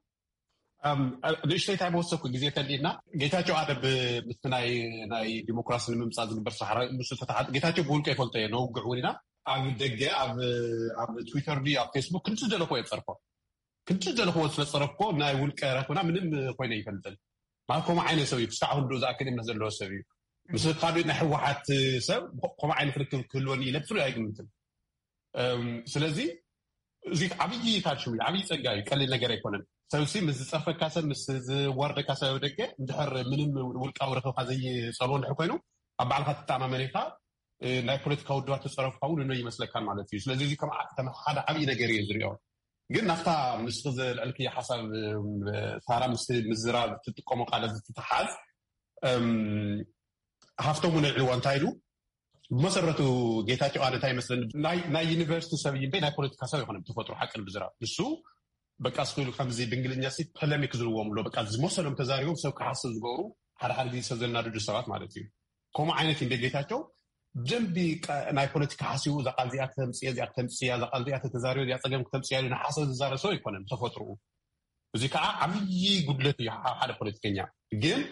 ንእሽተይ እንታይ መወሰኩ ግዜ ተሊና ጌታቸው ኣደ ምስቲ ናይ ናይ ዲሞክራሲ ንምምፃእ ዝግበር ሳሕራ ምስ ተተሓት ጌታቸው ብውልቀ ይፈልጦ እየ ነውግዕ እውን ኢና ኣብ ደገ ኣብ ኣብ ትዊተር ድዩ ኣብ ፌስቡክ ክንዲ ዝደለኮ የፀርፎ ክንዲ ዝደለኮ ስለፀረፍኮ ናይ ውልቀ ረክብና ምንም ኮይነ ይፈልጥን ማለት ከምኡ ዓይነት ሰብ እዩ ክሳዕ ክንዱ ዝኣክል እምነት ዘለዎ ሰብ እዩ ምስ ካልኦት ናይ ህወሓት ሰብ ከምኡ ዓይነት ርክብ ክህልወኒ ኢለ ብስሩ ኣይግምትን ስለዚ እዚ ዓብዪ ታሽም ዓብዪ ፀጋ እዩ ቀሊል ነገር ኣይኮነን ሰብሲ ምስ ዝፀርፈካ ሰብ ምስ ዝዋርደካ ሰብ ደገ እንድሕር ምንም ውልቃዊ ረክብካ ዘይፀልዎ እንድሕር ኮይኑ ኣብ ባዕልካ ትተኣማመን ኢካ ናይ ፖለቲካ ውድባት ተፀረፍካ እውን እነ ይመስለካን ማለት እዩ ስለዚ እዚ ከም ሓደ ዓብዪ ነገር እየ ዝሪኦ ግን ናብታ ምስ ዘልዕልክዮ ሓሳብ ሳራ ምስ ምዝራብ ትጥቀሞ ቃለ ዝትተሓዝ ሃፍቶም እውን ኣልዕልዋ እንታይ ኢሉ ብመሰረቱ ጌታቸው ኣነ እንታይ ይመስለኒ ናይ ዩኒቨርሲቲ ሰብ እምበይ ናይ ፖለቲካ ሰብ ይኮነ ብተፈጥሮ ሓቂ ብዝራብ ንሱ በቃ ስክሉ ከምዚ ብእንግሊዝኛ ሲ ፖለሚክ ዝብልዎም ኣሎ በቃ ዝመሰሎም ተዛሪቦም ሰብ ክሓስብ ዝገብሩ ሓደ ሓደ ግዜ ሰብ ዘናድዱ ሰባት ማለት እዩ ከምኡ ዓይነት እንደ ጌታቸው ብደንቢ ናይ ፖለቲካ ሓሲቡ እዛ ቃል እዚኣ ክተምፅየ እዚኣ ክተምፅያ እዛ ቃል እዚኣ ተተዛሪበ እዚኣ ፀገም ክተምፅያ ኢሉ ንሓሰብ ዝዛረብ ሰብ ኣይኮነን ብተፈጥርኡ እዚ ከዓ ዓብዪ ጉድለት እዩ ሓደ ፖለቲከኛ ግን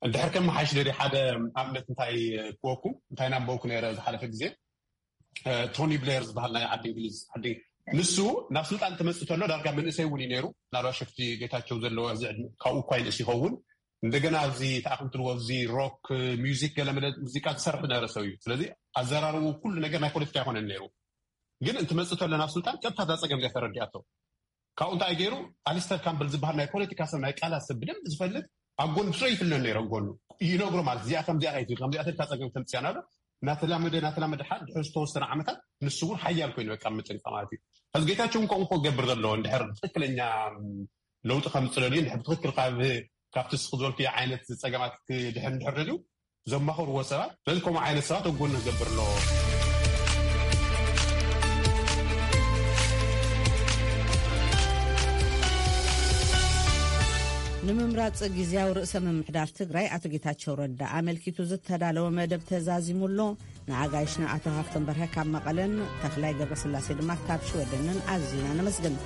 እንድሕር ከመሓይሽ ደልዩ ሓደ ኣብነት እንታይ ክወኩም እንታይ ናንበብኩ ነይረ ዝሓለፈ ግዜ ቶኒ ብሌር ዝበሃል ናይ ዓዲ እንግሊዝ ዓዲ ንሱ ናብ ስልጣን ተመፅእ ተሎ ዳርጋ መንእሰይ እውን እዩ ነይሩ ናልባ ሸፍቲ ጌታቸው ዘለዎ እዚ ዕድመ ካብኡ እኳ ይንእስ ይኸውን እንደገና ኣብዚ ተኣኽምትልዎ ኣብዚ ሮክ ሚዚክ ገለመለ ሙዚቃ ዝሰርሕ ዝነበረ ሰብ እዩ ስለዚ ኣዘራርቡ ኩሉ ነገር ናይ ፖለቲካ ኣይኮነን ነይሩ ግን እንትመፅእ ተሎ ናብ ስልጣን ቀጥታ እዛ ፀገም እዚኣ ተረዲኣቶ ካብኡ እንታይ ገይሩ ኣሊስተር ካምበል ዝበሃል ናይ ፖለቲካ ሰብ ናይ ቃላት ሰብ ብደንብ ዝፈልጥ ኣብ ጎኑ ብስሩ ይፍለን ነይሮም ጎኑ ይነግሮ ማለት እዚኣ ከምዚኣ ከይትብል ከምዚኣ ተልካ ፀገም ተምፅያ ናሎ እናተላመደ እናተላመደ ሓደ ድሕሪ ዝተወሰነ ዓመታት ንሱ እውን ሓያል ኮይኑ በቃ ምጥንቃ ማለት እዩ ሕዚ ጌታቸው እንኮ እንኮ ገብር ዘለዎ እንድሕር ትክክለኛ ለውጢ ከምፅለሉ እንድሕር ብትክክል ካብቲ ስክ ዝበልኩ ዓይነት ፀገማት ክድሕር እንድሕር ደልዩ ዘማኽርዎ ሰባት ነዚ ከምኡ ዓይነት ሰባት ኣብ ጎኒ ክገብር ኣለዎ። ንምምራፅ ግዝያዊ ርእሰ ምምሕዳር ትግራይ ኣቶ ጌታቸው ረዳ ኣመልኪቱ ዝተዳለወ መደብ ተዛዚሙ ኣሎ። ንኣጋይሽና ኣቶ ሃፍቶም በርሀ ካብ መቐለን ተኽላይ ገብረስላሴ ድማ ካብ ሽወደንን ኣዚና ነመስግን።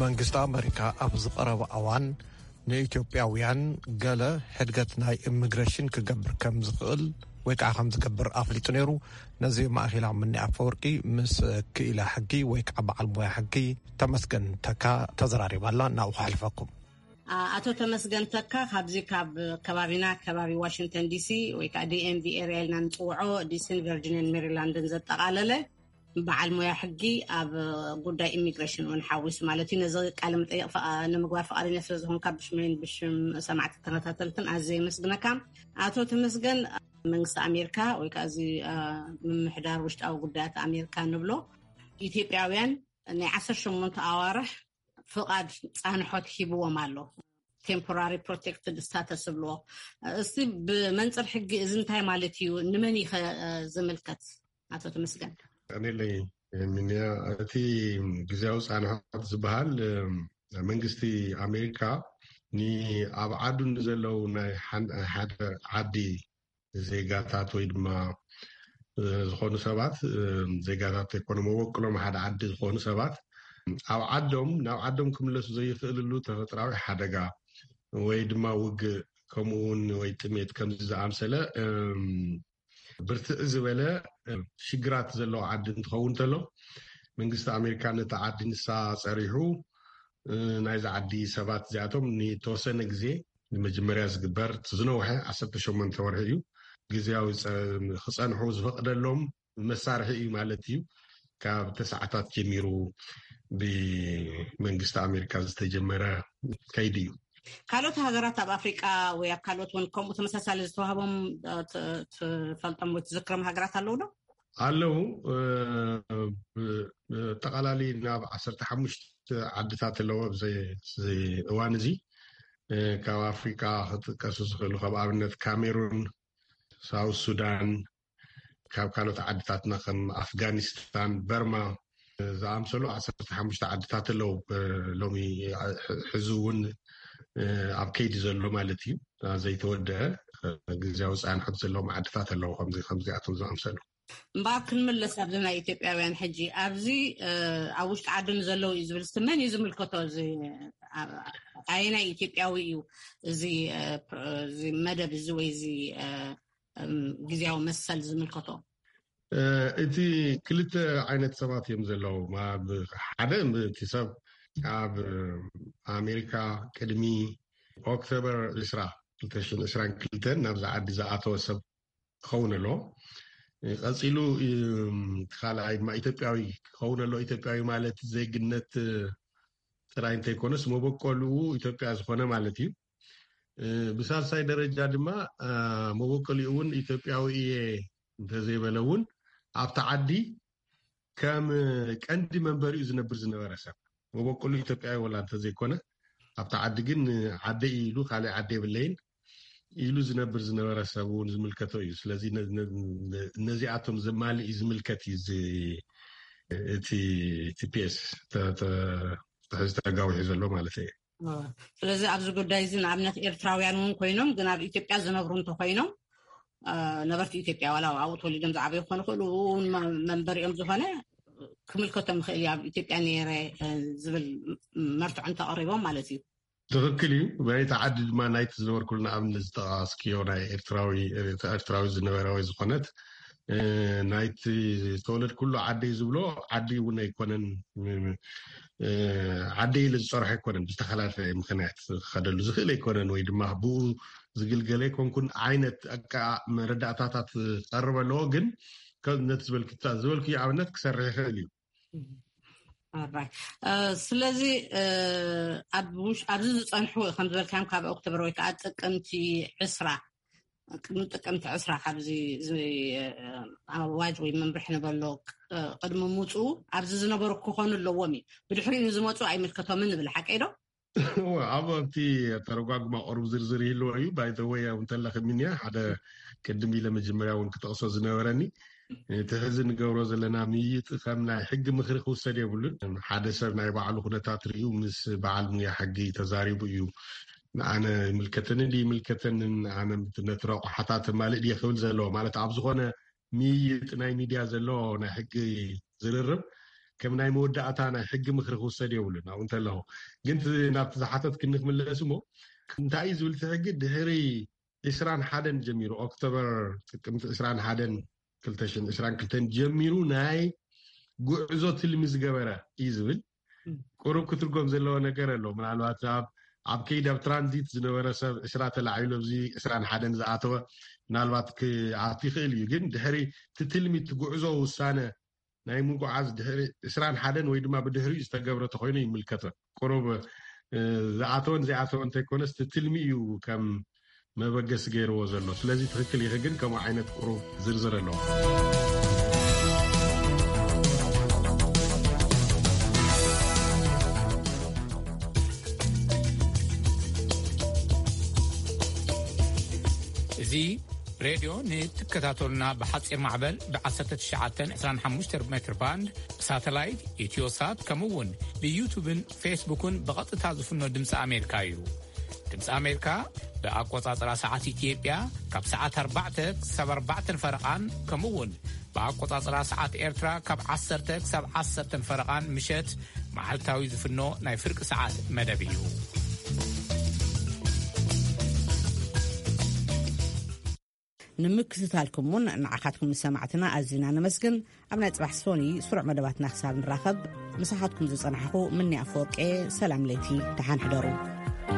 መንግስቲ ኣመሪካ ኣብ ዝቐረበ እዋን ንኢትዮጵያውያን ገለ ሕድገት ናይ ኢሚግሬሽን ክገብር ከም ዝኽእል ወይ ከዓ ከም ዝገብር ኣፍሊጡ ነይሩ። ነዚ ማእኺላ ምኒ ኣፈወርቂ ምስ ክኢላ ሕጊ ወይ ከዓ በዓል ሞያ ሕጊ ተመስገን ተካ ተዘራሪባ ኣላ። ናብኡ ከሕልፈኩም። ኣቶ ተመስገን ተካ ካብዚ ካብ ከባቢና ከባቢ ዋሽንግተን ዲሲ ወይ ከዓ ዲ ኤም ቪ ኤርያ ኢልና ንፅውዖ ዲሲን ቨርጂኒያን ሜሪላንድን ዘጠቓለለ በዓል ሞያ ሕጊ ኣብ ጉዳይ ኢሚግሬሽን እውን ሓዊሱ ማለት እዩ። ነዚ ቃለ መጠይቕ ንምግባር ፍቓደኛ ስለ ዝኾንካ ብሽመይን ብሽም ሰማዕቲ ተኸታተልትን ኣዝየ የመስግነካ። ኣቶ ተመስገን መንግስቲ ኣሜሪካ ወይ ከዓ እዚ ምምሕዳር ውሽጣዊ ጉዳያት ኣሜሪካ ንብሎ ኢትዮጵያውያን ናይ ዓሰርተ ሸሞንተ ኣዋርሕ ፍቓድ ፃንሖት ሂብዎም ኣሎ። ቴምፖራሪ ፕሮቴክትድ ስታተስ ዝብልዎ እስቲ ብመንፅር ሕጊ እዚ እንታይ ማለት እዩ? ንመን እዩ ዝምልከት? ኣቶ ተመስገን ቀኒለይ ሚኒያ እቲ ግዜያዊ ፃንሖት ዝበሃል መንግስቲ ኣሜሪካ ንኣብ ዓዱ ንዘለው ናይ ሓደ ዓዲ ዜጋታት ወይ ድማ ዝኾኑ ሰባት ዜጋታት ዘይኮነ መበቅሎም ሓደ ዓዲ ዝኾኑ ሰባት ኣብ ዓዶም ናብ ዓዶም ክምለሱ ዘይኽእልሉ ተፈጥራዊ ሓደጋ ወይ ድማ ውግእ ከምኡ እውን ወይ ጥሜት ከምዚ ዝኣምሰለ ብርትዕ ዝበለ ሽግራት ዘለዎ ዓዲ እንትኸውን እንተሎ መንግስቲ ኣሜሪካ ነቲ ዓዲ ንሳ ፀሪሑ ናይዚ ዓዲ ሰባት እዚኣቶም ንተወሰነ ግዜ ንመጀመርያ ዝግበር ዝነውሐ ዓሰርተ ሸሞንተ ወርሒ እዩ ግዜያዊ ክፀንሑ ዝፈቅደሎም መሳርሒ እዩ ማለት እዩ ካብ ተሰዓታት ጀሚሩ ብመንግስቲ ኣሜሪካ ዝተጀመረ ከይዲ እዩ። ካልኦት ሃገራት ኣብ ኣፍሪቃ ወይ ኣብ ካልኦት እውን ከምኡ ተመሳሳሊ ዝተዋህቦም፣ እ፣ ት-፣ ትፈልጦም ወይ ትዝክሮም ሃገራት ኣለዉ ዶ? ኣለዉ። እ፣ ብ-፣ ብጠቓላሊ ናብ ዓሰርተ ሓሙሽተ ዓድታት ኣለዎ ኣብዚ፣ እዚ እዋን እዚ። እ፣ ካብ ኣፍሪቃ ክጥቀሱ ዝኽእሉ፣ ካብ ኣብነት ካሜሩን፣ ሳውት ሱዳን፣ ካብ ካልኦት ዓድታትና ከም ኣፍጋኒስታን፣ በርማ ዝኣምሰሉ ዓሰርተ ሓሙሽተ ዓድታት ኣለዉ። እ፣ ሎሚ፣ እ፣ ሕዚ እውን፣ እ፣ ኣብ ከይዲ ዘሎ ማለት እዩ። እ፣ ዘይተወደአ፣ እ፣ ግዝያዊ ጻንሖት ዘለዎም ዓድታት ኣለዉ፣ ከምዚ፣ ከምዚኣቶም ዝኣምሰሉ። እምበኣር ክንምለስ ኣብዚ ናይ ኢትዮጵያውያን ሕጂ፣ ኣብዚ፣ እ፣ ኣብ ውሽጢ ዓዲ ንዘለዉ እዩ ዝብል፣ እስቲ መን እዩ ዝምልከቶ? እዚ፣ እ፣ ኣየናይ ኢትዮጵያዊ እዩ እዚ፣ እ፣ ፕ-፣ እዚ መደብ እዚ ወይ እዚ፣ እ፣ እም፣ ግዝያዊ መሰል ዝምልከቶ? እ፣ እቲ ክልተ ዓይነት ሰባት እዮም ዘለዉ። ማ-፣ ብ-፣ ሓደ እቲ ሰብ ኣብ ኣሜሪካ ቅድሚ ኦክቶበር ዕስራ፣ ክልተ ሽሕን ዕስራን ክልተን ናብዚ ዓዲ ዝኣተወ ሰብ ክኸውን ኣለዎ። እ፣ ቀጺሉ፣ እም፣ እቲ ካልኣይ ድማ ኢትዮጵያዊ ክኸውን ኣለዎ። ኢትዮጵያዊ ማለት ዜግነት፣ እ፣ ጥራይ እንተይኮነስ መበቆልኡ ኢትዮጵያ ዝኾነ ማለት እዩ። እ፣ ብሳልሳይ ደረጃ ድማ፣ እ፣ መበቆልኡ እውን ኢትዮጵያዊ እየ እንተዘይበለ እውን ኣብቲ ዓዲ ከም ቀንዲ መንበሪኡ ዝነብር ዝነበረ ሰብ፣ መበቆሉ ኢትዮጵያዊ ወላ እንተዘይኮነ፣ ኣብቲ ዓዲ ግን ዓደይ ኢሉ ካልእ ዓዲ የብለይን ኢሉ ዝነብር ዝነበረ ሰብ እውን ዝምልከቶ እዩ። ስለዚ ነ-፣ ነ-፣ ነ-፣ ነዚኣቶም ዘማልእ እዩ ዝምልከት እዩ እዚ፣ እቲ ቲ ፒ ኤስ ተ-፣ ተ-፣ ሕዚ ተጋዊሑ ዘሎ ማለት እዩ። እ፣ ስለዚ ኣብዚ ጉዳይ እዚ ንኣብነት ኤርትራውያን እውን ኮይኖም ግን ኣብ ኢትዮጵያ ዝነብሩ እንተኮይኖም፣ እ፣ ነበርቲ ኢትዮጵያ ዋላ ኣብኡ ተወሊዶም ዝዓበዩ ክኾኑ ይኽእሉ፣ እውን መ-፣ መንበሪኦም ዝኾነ ክምልከቶም ይኽእል እዩ። ኣብ ኢትዮጵያ ነይረ፣ እ፣ ዝብል መርትዖ እንተቐሪቦም ማለት እዩ። ትኽክል እዩ። በይቲ ዓዲ ድማ ናይቲ ዝነበርኩሉ ንኣብነት ዝጠቓስክዮ ናይ ኤርትራዊ፣ ኤርትራዊ ዝነበረ ወይ ዝኾነት፣ እ፣ ናይቲ ዝተወለድኩሉ ዓደይ ዝብሎ ዓዲ እውን ኣይኮነን። እ፣ ዓደይ ኢለ ዝጸርሖ ኣይኮነን። ብዝተፈላለየ ምኽንያት ክኸደሉ ዝኽእል ኣይኮነን ወይ ድማ ብኡ ዝግልገለ ኣይኮንኩን ዓይነት ኣቃ-፣ መረዳእታታት ክቐርብ ኣለዎ። ግን ከ-፣ ነቲ ዝበልክታ-፣ ዝበልክዮ ኣብነት ክሰርሕ ይኽእል እዩ። ኣራይ። እ፣ ስለዚ፣ እ፣ ኣብ ውሽ-፣ ኣብዚ ዝጸንሑ ከም ዝበልካዮም ካብ ኦክቶበር ወይ ከዓ ጥቅምቲ ዕስራ፣ ቅድሚ ጥቅምቲ ዕስራ ካብዚ፣ እዚ፣ እ፣ ኣዋጅ ወይ መምርሒ ንበሎ ቅ-፣ ቅድሚ ምውፅኡ ኣብዚ ዝነበሩ ክኾኑ ኣለዎም እዩ። ብድሕሪኡ ንዝመፁ ኣይምልከቶምን ንብል፣ ሓቀይ ዶ? እወ፣ ኣብ፣ ኣብቲ ኣተረጓጉማ ቁሩብ ዝርዝር ይህልዎ እዩ። ባይ ዘ ወይ፣ ኣብ እንተለኺ ሚንያ፣ ሓደ ቅድም ኢለ መጀመርያ እውን ክጠቕሶ ዝነበረኒ፣ እቲ ሕዚ ንገብሮ ዘለና ምይይጥ ከም ናይ ሕጊ ምኽሪ ክውሰድ የብሉን። ሓደ ሰብ ናይ ባዕሉ ኩነታት ርእዩ ምስ በዓል ሙያ ሕጊ ተዛሪቡ እዩ፣ ንኣነ ይምልከተኒ ድዩ ይምልከተንን፣ ኣነ ነቲ ረቑሓታት ማልእ ድየ ክብል ዘለዎ። ማለት ኣብ ዝኾነ ምይይጥ ናይ ሚድያ ዘሎ ናይ ሕጊ ዝርርብ ከም ናይ መወዳእታ ናይ ሕጊ ምኽሪ ክውሰድ የብሉን። ኣብኡ እንተለኹ ግን እቲ ናብቲ ዝሓተት ክንክምለስ እሞ፣ እንታይ እዩ ዝብል እቲ ሕጊ? ድሕሪ ዕስራን ሓደን ጀሚሩ፣ ኦክቶበር፣ ጥቅምቲ ዕስራን ሓደን ክልተ ሽሕን ዕስራን ክልተን ጀሚሩ ናይ ጉዕዞ ትልሚ ዝገበረ እዩ ዝብል። ቁሩብ ክትርጎም ዘለዎ ነገር ኣሎ። ምናልባት ኣብ፣ ኣብ ከይዲ ኣብ ትራንዚት ዝነበረ ሰብ ዕስራ ተላዒሉ ኣብዚ ዕስራን ሓደን ዝኣተወ ምናልባት ክኣቱ ይኽእል እዩ። ግን ድሕሪ እቲ ትልሚ፣ እቲ ጉዕዞ ውሳነ ናይ ምጉዓዝ ድሕሪ ዕስራን ሓደን ወይ ድማ ብድሕሪኡ ዝተገብረ ተኮይኑ ይምልከቶ። ቁሩብ፣ እ፣ ዝኣተወን ዘይኣተወን እንተይኮነስ እቲ ትልሚ እዩ ከም መበገሲ ገይርዎ ዘሎ። ስለዚ ትኽክል ኢኺ፣ ግን ከምኡ ዓይነት ቁሩብ ዝርዝር ኣለዎ። እዚ ሬድዮ ንትከታተሉና ብሓፂር ማዕበል ብ ዓሰርተ ትሽዓተ ዕስራን ሓሙሽተ ሜትር ባንድ፣ ብሳተላይት፣ ኢትዮሳት፣ ከምኡ እውን ብዩቱብን ፌስቡክን ብቐጥታ ዝፍኖ ድምፂ ኣሜሪካ እዩ። ድምፂ ኣሜሪካ ብኣቆፃፅራ ሰዓት ኢትዮጵያ ካብ ሰዓት ኣርባዕተ ክሳብ ኣርባዕተን ፈረቓን፣ ከምኡ እውን ብኣቆፃፅራ ሰዓት ኤርትራ ካብ ዓሰርተ ክሳብ ዓሰርተን ፈረቓን ምሸት መዓልታዊ ዝፍኖ ናይ ፍርቂ ሰዓት መደብ እዩ። ንምክትታልኩም እውን ንዓኻትኩም ንሰማዕትና ኣዚና ነመስግን። ኣብ ናይ ጽባሕ ሶኒ ስሩዕ መደባትና ክሳብ ንራኸብ፣ ምሳኻትኩም ዝጸናሕኹ ምኒ ኣፈወርቄ። ሰላም ለይቲ፣ ደሓን ሕደሩ።